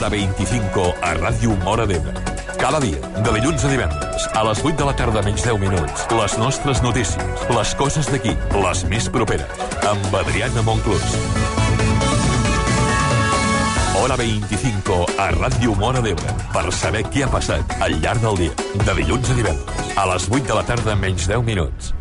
Hora 25 a Ràdio Móra d'Ebre. Cada dia, de dilluns a divendres, a les 8 de la tarda menys 10 minuts, les nostres notícies, les coses d'aquí, les més properes, amb Adriana Monclús. Hora 25 a Ràdio Móra d'Ebre, per saber què ha passat al llarg del dia, de dilluns a divendres, a les 8 de la tarda menys 10 minuts.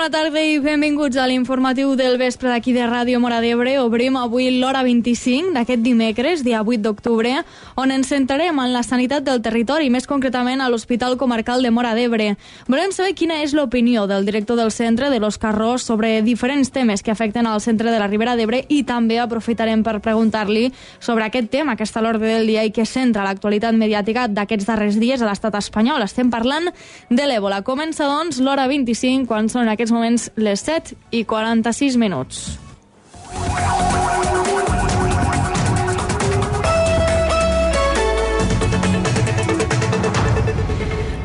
Bona tarda i benvinguts a l'informatiu del vespre d'aquí de Ràdio Móra d'Ebre. Obrim avui l'hora 25 d'aquest dimecres, dia 8 d'octubre, on ens centrarem en la sanitat del territori, més concretament a l'Hospital Comarcal de Móra d'Ebre. Volem saber quina és l'opinió del director del centre, de l'Òscar Ros, sobre diferents temes que afecten al centre de la Ribera d'Ebre, i també aprofitarem per preguntar-li sobre aquest tema que està a l'ordre del dia i que centra l'actualitat mediàtica d'aquests darrers dies a l'estat espanyol. Estem parlant de l'Èbola. Comença, doncs, l'hora 25, quan són aquests moments les 7:46 minuts.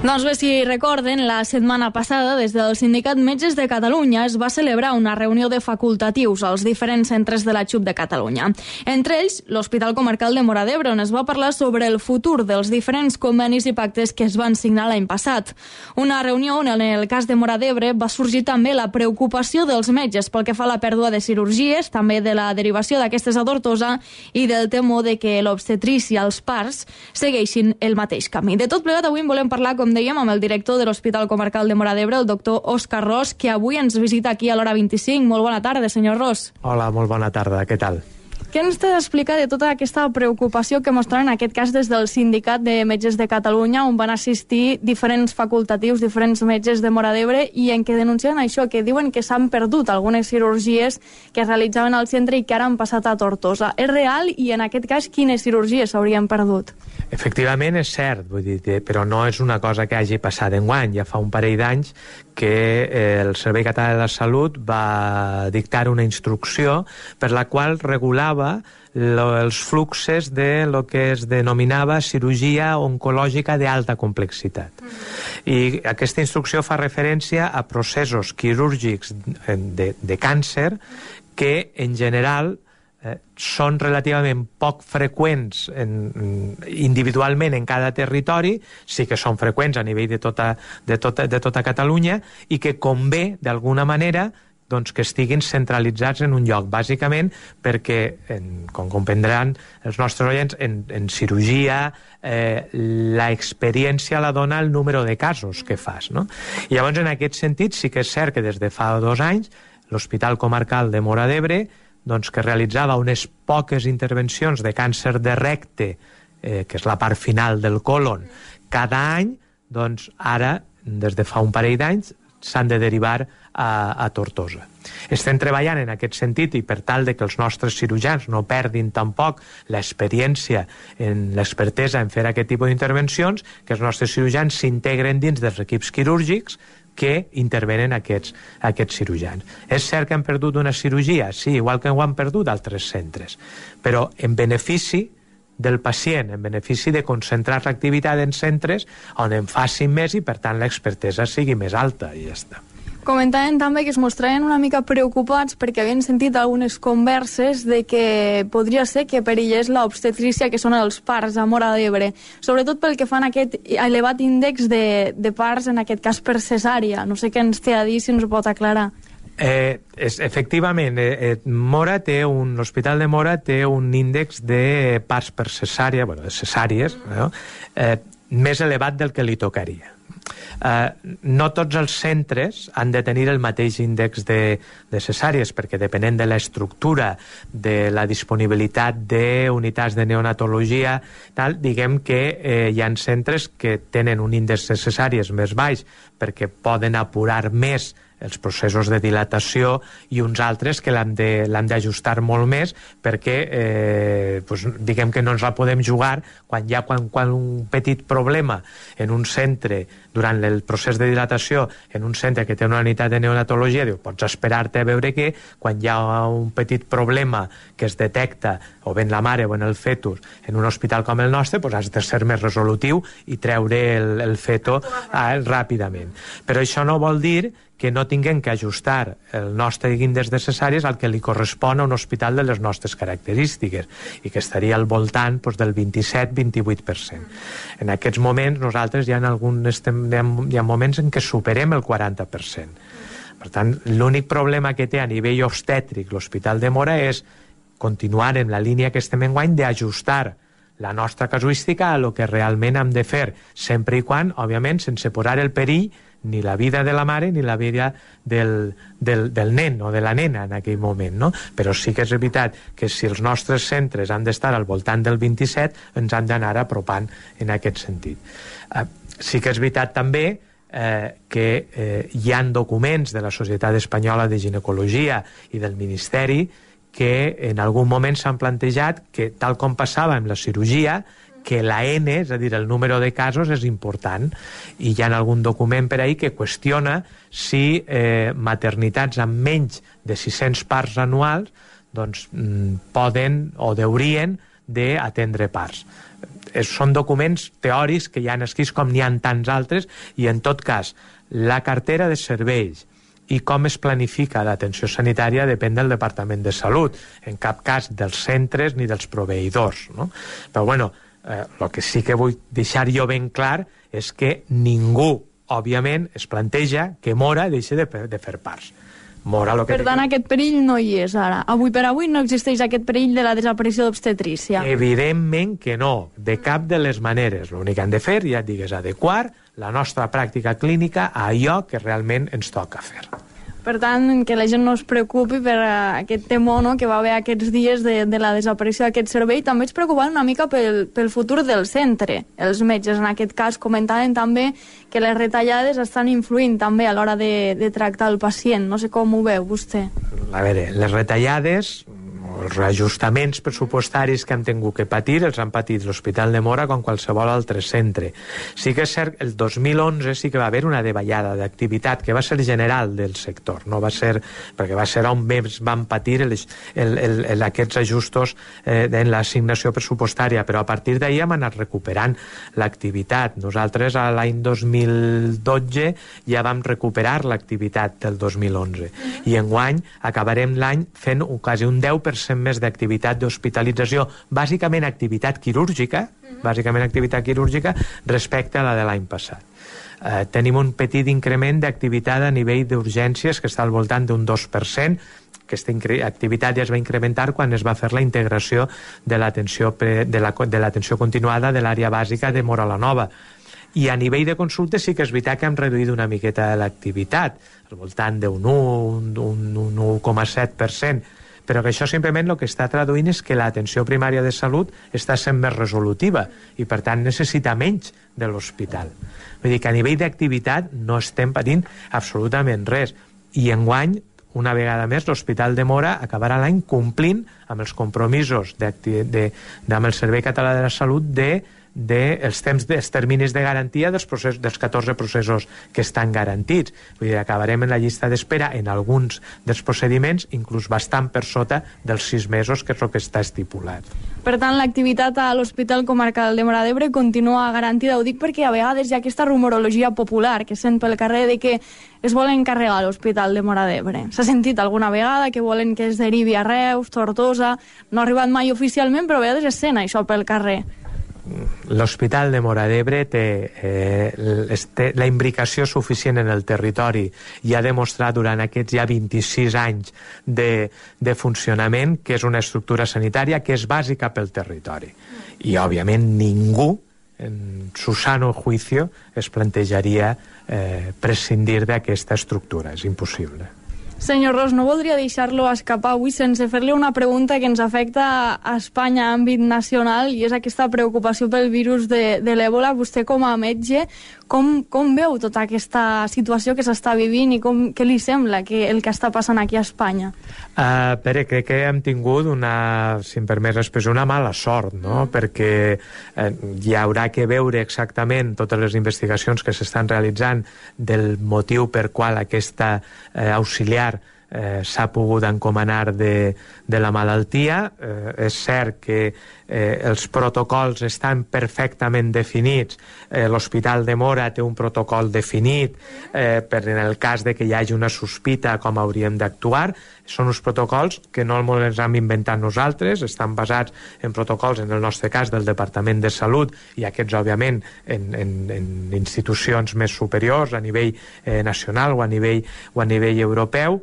Doncs bé, si recorden, la setmana passada, des del Sindicat Metges de Catalunya es va celebrar una reunió de facultatius als diferents centres de la XUP de Catalunya. Entre ells, l'Hospital Comarcal de Móra d'Ebre, on es va parlar sobre el futur dels diferents convenis i pactes que es van signar l'any passat. Una reunió on, en el cas de Móra d'Ebre, va sorgir també la preocupació dels metges pel que fa a la pèrdua de cirurgies, també de la derivació d'aquestes a Tortosa i del temor de que l'obstetrícia, els parts, segueixin el mateix camí. De tot plegat, avui en volem parlar, com dèiem, amb el director de l'Hospital Comarcal de Móra d'Ebre, el doctor Òscar Ros, que avui ens visita aquí a l'hora 25. Molt bona tarda, senyor Ros. Hola, molt bona tarda. Què tal? Què ens té d'explicar de tota aquesta preocupació que mostren en aquest cas des del Sindicat de Metges de Catalunya, on van assistir diferents facultatius, diferents metges de Móra d'Ebre, i en què denuncien això, que diuen que s'han perdut algunes cirurgies que es realitzaven al centre i que ara han passat a Tortosa. És real? I en aquest cas, quines cirurgies s'haurien perdut? Efectivament, és cert, vull dir, però no és una cosa que hagi passat enguany. Ja fa un parell d'anys que el Servei Català de la Salut va dictar una instrucció per la qual regulava els fluxes de lo que es denominava cirurgia oncològica d'alta complexitat. I aquesta instrucció fa referència a processos quirúrgics de càncer que, en general, són relativament poc freqüents individualment en cada territori, sí que són freqüents a nivell de tota Catalunya, i que convé, d'alguna manera, doncs que estiguin centralitzats en un lloc, bàsicament perquè, com comprendran els nostres oients, en cirurgia l'experiència la dona el número de casos que fas, no? I llavors, en aquest sentit, sí que és cert que des de fa 2 anys l'Hospital Comarcal de Móra d'Ebre, doncs, que realitzava unes poques intervencions de càncer de recte, que és la part final del còlon, cada any, doncs ara, des de fa un parell d'anys, s'han de derivar a Tortosa. Estem treballant en aquest sentit i per tal de que els nostres cirurgians no perdin tampoc l'experiència, l'expertesa en fer aquest tipus d'intervencions, que els nostres cirurgians s'integren dins dels equips quirúrgics que intervenen aquests cirurgians. És cert que han perdut una cirurgia? Sí, igual que ho han perdut altres centres, però en benefici del pacient, en benefici de concentrar l'activitat en centres on en facin més i, per tant, l'expertesa sigui més alta, i ja està. Comentaven també que es mostraven una mica preocupats perquè havien sentit algunes converses de que podria ser que perillés l'obstetrícia, que són els parts a Móra d'Ebre, sobretot pel que fan aquest elevat índex de parts, en aquest cas per cesària. No sé què ens té a dir, si ens ho pot aclarar. Efectivament, l'Hospital de Móra té un índex de parts per cesària, de cesàries, més elevat del que li tocaria. No tots els centres han de tenir el mateix índex de cesàries, perquè depenent de l'estructura, de la disponibilitat d'unitats de neonatologia, diguem que hi ha centres que tenen un índex de cesàries més baix perquè poden apurar més els processos de dilatació, i uns altres que l'han d'ajustar molt més, perquè diguem que no ens la podem jugar quan un petit problema en un centre durant el procés de dilatació, en un centre que té una unitat de neonatologia, pots esperar-te a veure que quan hi ha un petit problema que es detecta o bé en la mare o en el fetus en un hospital com el nostre, has de ser més resolutiu i treure el feto ràpidament. Però això no vol dir que no tinguem que ajustar el nostre índex de cesàries al que li correspon a un hospital de les nostres característiques, i que estaria al voltant del 27-28%. En aquests moments nosaltres hi ha moments en què superem el 40%. Per tant, l'únic problema que té a nivell obstètric l'Hospital de Móra és continuar en la línia que estem enguany d'ajustar la nostra casuística a lo que realment hem de fer, sempre i quan, òbviament, sense posar el perill ni la vida de la mare ni la vida del nen o de la nena en aquell moment, no? Però sí que és veritat que si els nostres centres han d'estar al voltant del 27, ens han d'anar apropant en aquest sentit. Sí que és veritat també que hi ha documents de la Societat Espanyola de Ginecologia i del Ministeri que en algun moment s'han plantejat que, tal com passava amb la cirurgia, que la N, és a dir, el número de casos, és important, i hi ha algun document per ahí que qüestiona si maternitats amb menys de 600 parts anuals poden o deurien d'atendre parts. Són documents teòrics que hi ha escrits com n'hi ha tants altres, i en tot cas la cartera de serveis i com es planifica l'atenció sanitària depèn del Departament de Salut, en cap cas dels centres ni dels proveïdors, no? Però bueno, el que sí que vull deixar jo ben clar és que ningú, òbviament, es planteja que Móra deixi de fer parts. Per tant, aquest perill no hi és ara. Avui per avui no existeix aquest perill de la desaparició d'obstetrícia. Evidentment que no, de cap de les maneres. L'únic que han de fer, ja et dic, és adequar la nostra pràctica clínica a allò que realment ens toca fer. Per tant, que la gent no es preocupi per aquest temor, no?, que va haver aquests dies de la desaparició d'aquest servei. També ens preocupaven una mica pel futur del centre. Els metges, en aquest cas, comentaven també que les retallades estan influint també a l'hora de tractar el pacient. No sé com ho veu vostè. A veure, les retallades, els reajustaments pressupostaris que han tingut que patir, els han patit l'Hospital de Móra com qualsevol altre centre. Sí que és cert, el 2011 sí que va haver una davallada d'activitat que va ser general del sector, no va ser, perquè va ser on més van patir aquests ajustos en l'assignació pressupostària, però a partir d'ahir hem anat recuperant l'activitat. Nosaltres a l'any 2012 ja vam recuperar l'activitat del 2011 i enguany acabarem l'any fent quasi un 10% més d'activitat d'hospitalització, bàsicament activitat quirúrgica respecte a la de l'any passat. Tenim un petit increment d'activitat a nivell d'urgències que està al voltant d'un 2%. Aquesta activitat ja es va incrementar quan es va fer la integració de l'atenció continuada de l'àrea bàsica de Móra la Nova. I a nivell de consultes sí que és veritat que hem reduït una miqueta l'activitat, al voltant d'un 1,7%, però que això simplement el que està traduint és que l'atenció primària de salut està sent més resolutiva i per tant necessita menys de l'hospital. Vull dir que a nivell d'activitat no estem patint absolutament res, i enguany, una vegada més, l'Hospital de Móra acabarà l'any complint amb els compromisos amb el Servei Català de la Salut dels terminis de garantia dels 14 processos que estan garantits. Vull dir, acabarem en la llista d'espera en alguns dels procediments inclús bastant per sota dels 6 mesos, que és el que està estipulat. Per tant, l'activitat a l'Hospital Comarcal de Móra d'Ebre continua garantida. Ho dic perquè a vegades hi ha aquesta rumorologia popular que sent pel carrer de que es volen carregar l'Hospital de Móra d'Ebre. S'ha sentit alguna vegada que volen que es derivi a Reus, Tortosa. No ha arribat mai oficialment, però a vegades es sent això pel carrer. L'Hospital de Móra d'Ebre té la imbricació suficient en el territori i ha demostrat durant aquests ja 26 anys de funcionament que és una estructura sanitària que és bàsica pel territori. I, òbviament, ningú en su sano juicio es plantejaria prescindir d'aquesta estructura. És impossible. Senyor Ros, no voldria deixar-lo escapar avui sense fer-li una pregunta que ens afecta a Espanya a àmbit nacional, i és aquesta preocupació pel virus de l'Èbola. Vostè, com a metge, com veu tota aquesta situació que s'està vivint i què li sembla el que està passant aquí a Espanya? Pere, crec que hem tingut si em permets l'expressió, una mala sort, no? Perquè hi haurà que veure exactament totes les investigacions que s'estan realitzant del motiu per qual aquesta auxiliar s'ha pogut encomanar de la malaltia. És cert que els protocols estan perfectament definits. L'Hospital de Móra té un protocol definit per en el cas de que hi hagi una sospita com hauríem d'actuar. Són uns protocols que no els hem inventat nosaltres, estan basats en protocols, en el nostre cas, del Departament de Salut, i aquests, òbviament, en institucions més superiors, a nivell nacional o a nivell europeu.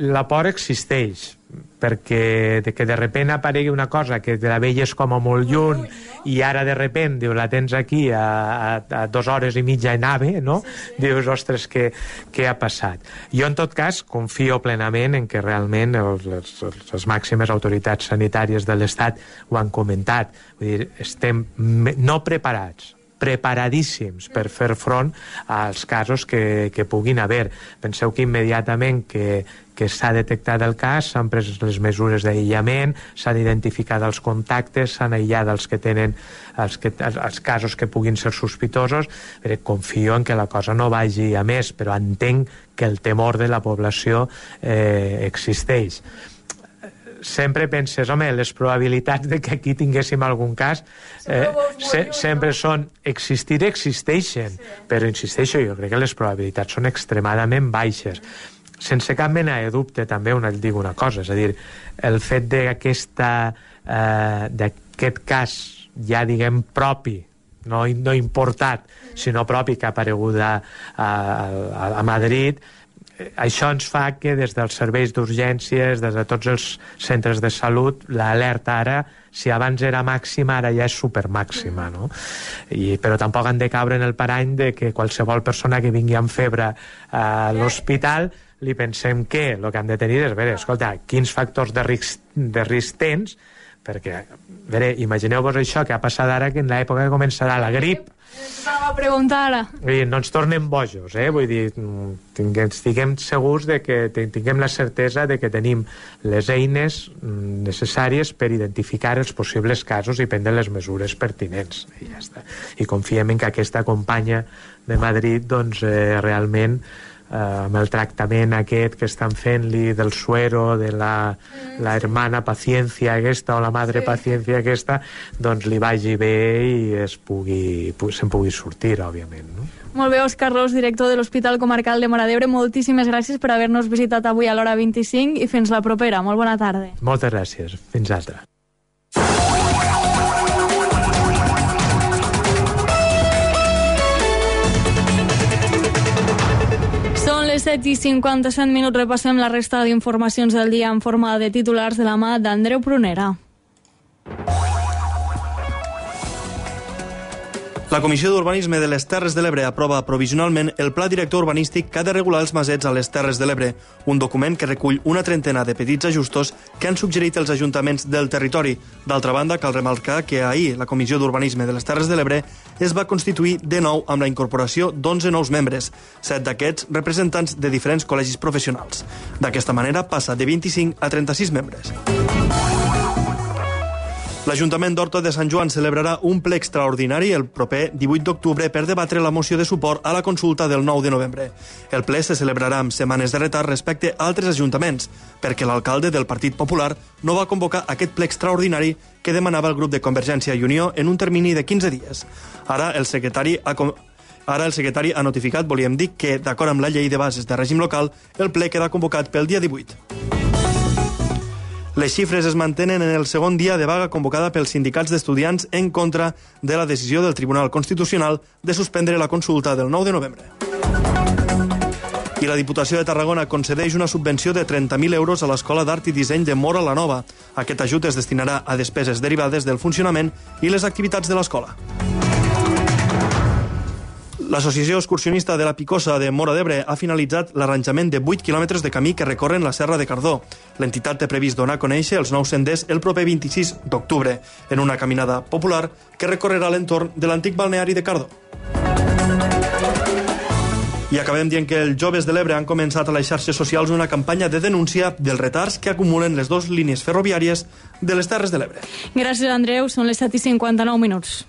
La por existeix, perquè que de sobte aparegui una cosa que la veies com a molt lluny i ara de sobte la tens aquí a 2 hores i mitja en AVE, no? Dius, ostres, què ha passat? Jo, en tot cas, confio plenament en que realment les màximes autoritats sanitàries de l'Estat ho han comentat. Vull dir, estem no preparats, preparadíssims per fer front als casos que puguin haver. Penseu que immediatament que s'ha detectat el cas, s'han pres les mesures d'aïllament, s'han identificat els contactes, s'han aïllat els que tenen els casos que puguin ser sospitosos. Confio en que la cosa no vagi a més, però entenc que el temor de la població existeix. Sempre penses, home, les probabilitats de que aquí tinguéssim algun cas sempre són existeixen, però insisteixo, jo crec que les probabilitats són extremadament baixes. Sense cap mena de dubte, també et dic una cosa, és a dir, el fet d'aquest cas ja, diguem, propi, no importat, sinó propi, que ha aparegut a Madrid, això ens fa que des dels serveis d'urgències, des de tots els centres de salut, l'alerta ara, si abans era màxima, ara ja és supermàxima, no? Però tampoc han de caure en el parany de que qualsevol persona que vingui amb febre a l'hospital li pensem que el que hem de tenir és, escolta, quins factors de risc tens, perquè, imagineu-vos això que ha passat ara, que en l'època que començarà la grip, a preguntar ara. No ens tornem bojos, vull dir, estiguem segurs de que tinguem la certesa de que tenim les eines necessàries per identificar els possibles casos i prendre les mesures pertinents, i ja està. I confiem en que aquesta companya de Madrid, doncs, realment, amb el tractament aquest que estan fent-li del suero, de la hermana paciencia aquesta o la madre paciencia aquesta, doncs li vagi bé i se'n pugui sortir, òbviament, no? Molt bé, Òscar Ros, director de l'Hospital Comarcal de Móra d'Ebre, moltíssimes gràcies per haver-nos visitat avui a l'hora 25 i fins la propera. Molt bona tarda. Moltes gràcies. Fins altra. Són les 7:57, repassem la resta d'informacions del dia en forma de titulars de la mà d'Andreu Prunera. La Comissió d'Urbanisme de les Terres de l'Ebre aprova provisionalment el Pla Director Urbanístic que ha de regular els masets a les Terres de l'Ebre, un document que recull una trentena de petits ajustos que han suggerit els ajuntaments del territori. D'altra banda, cal remarcar que ahir la Comissió d'Urbanisme de les Terres de l'Ebre es va constituir de nou amb la incorporació d'11 nous membres, 7 d'aquests representants de diferents col·legis professionals. D'aquesta manera passa de 25 a 36 membres. L'Ajuntament d'Horta de Sant Joan celebrarà un ple extraordinari el proper 18 d'octubre per debatre la moció de suport a la consulta del 9 de novembre. El ple se celebrarà amb setmanes de retard respecte a altres ajuntaments, perquè l'alcalde del Partit Popular no va convocar aquest ple extraordinari que demanava el grup de Convergència i Unió en un termini de 15 dies. Ara el secretari ha notificat, volíem dir, que, d'acord amb la llei de bases de règim local, el ple queda convocat pel dia 18. Les xifres es mantenen en el segon dia de vaga convocada pels sindicats d'estudiants en contra de la decisió del Tribunal Constitucional de suspendre la consulta del 9 de novembre. I la Diputació de Tarragona concedeix una subvenció de 30.000 euros a l'Escola d'Art i Disseny de Móra la Nova. Aquest ajut es destinarà a despeses derivades del funcionament i les activitats de l'escola. L'Associació Excursionista de la Picosa de Móra d'Ebre ha finalitzat l'arranjament de 8 quilòmetres de camí que recorren la Serra de Cardó. L'entitat té previst donar a conèixer els nous senders el proper 26 d'octubre, en una caminada popular que recorrerà l'entorn de l'antic balneari de Cardó. I acabem dient que els joves de l'Ebre han començat a les xarxes socials una campanya de denúncia dels retards que acumulen les dues línies ferroviàries de les Terres de l'Ebre. Gràcies, Andreu. Són les 7:59.